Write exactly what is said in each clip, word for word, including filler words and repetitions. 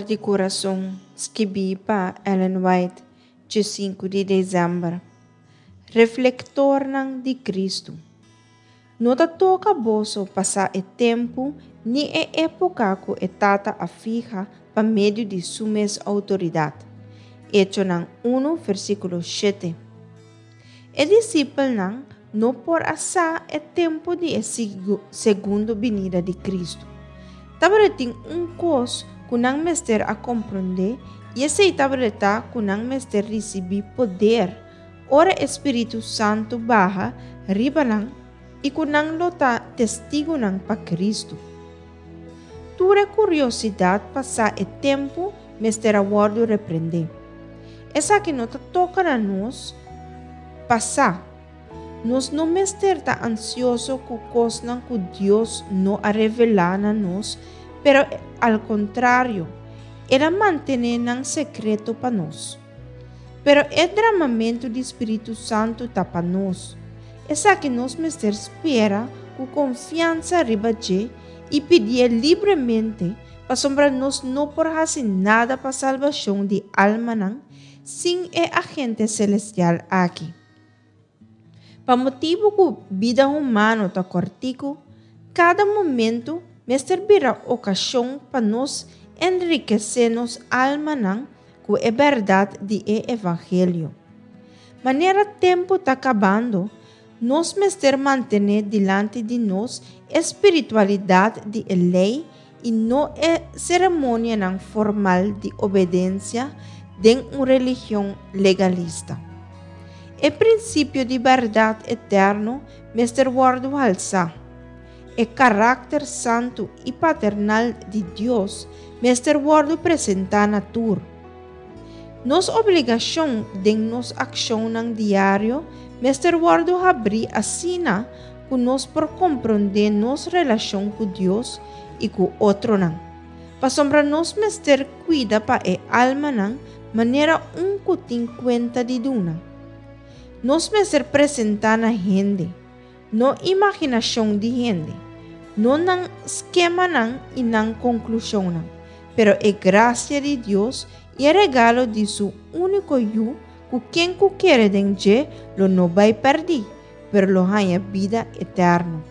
For di Kurason, skibí pa Ellen White, diesinku di desèmber. Reflektornan di Kristu. No ta toka boso pa sa e tempu ni e époka ku e Tata a fiha pa medio di su mes outoridat. Echonan un, versíkulo shete. E disipelnan no por a sa e tempu di e segundo binida di Kristu. Tabatin un kos ku nan mester a komprondé i esei tabata ku nan mester risibí poder ora e Spiritu Santu baha riba nan i ku nan lo ta testigunan pa Kristu. Tur e kuriosidat pa sa e tempu mester a wòrdu reprendé. Esaki no ta toka na nos pa sa. Nos no mester ta ansioso ku kosnan ku Dios no a revelá na nos, pero al kontrario, El a mantené nan sekreto pa nos. Pero e dramamentu di Spiritu Santu ta pa nos. Esaki nos mester spera ku konfiansa riba dje i pidié libremente, pasobra nos no por hasi nada pa salbashon di almanan sin e agente selestial aki. Pa motibu ku bida humano ta kòrtiku, kada momento mester bira okashon pa nos enrikesé nos almanan ku e bèrdat di e Evangelio. Manera tempu ta kabando, nos mester mantené dilanti di nos e spiritualidat di e lei i no e seremonianan formal di obedensia den un religion legalista. E prinsipio di bèrdat eterno mester wòrdu halsá. E karakter santu i paternal di Dios mester wòrdu presentá na tur. Nos obligashon den nos akshonnan diario mester wòrdu habrí asina ku nos por komprondé nos relashon ku Dios i ku otronan. Pasobra nos mester kuida pa e almanan manera un ku tin kuenta di duna. Nos mester presentá na hende, no imaginashon di hende, no nan skemanan i nan konklushonnan, pero e grasia di Dios i e regalo di su úniko Yu, ku ken ku kere den dje lo no bai pèrdí, pero lo haña bida eterno.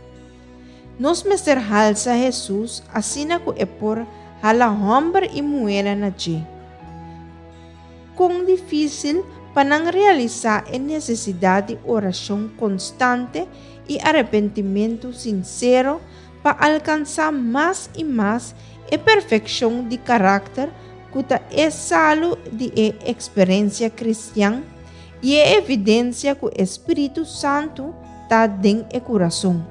Nos mester halsa Hesus asina ku e por hala hòmber i muhé na dje. Kon difísil pa nan realisá e nesesidat di orashon konstante i arepentimentu sinsero pa alkansá mas i mas e perfekshon di karakter ku ta e salu di e eksperensia kristian i e evidensia ku e Spiritu Santu ta den e kurason.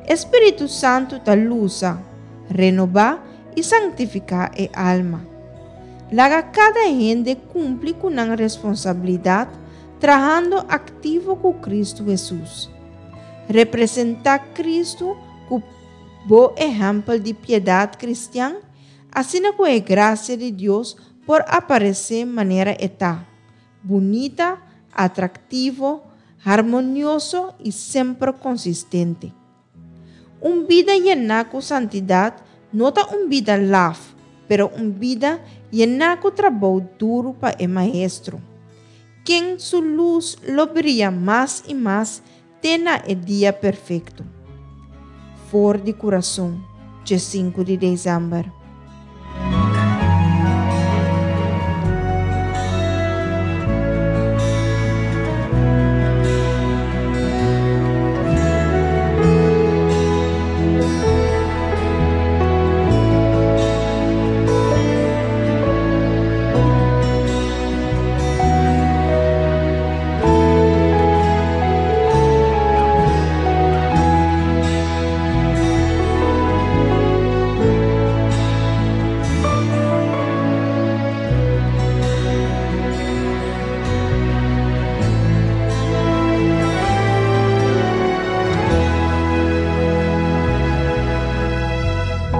E Spiritu Santu ta lusa, renobá i santifiká e alma. Laga kada hende kumpli ku nan responsabilidat, trahando aktivo ku Kristu Hesus. Representá Kristu ku bo ehèmpel di piedat kristian, asina ku e grasia di Dios por aparesé manera e ta, bunita, atraktivo, harmonioso i semper konsistente. Un bida yená ku santidat no ta un bida laf, pero un bida yená ku trabou duru pa e Maestro, ken su lus lo bria mas i mas te na e dia perfekto. For di Kurason, diesinku di desèmber.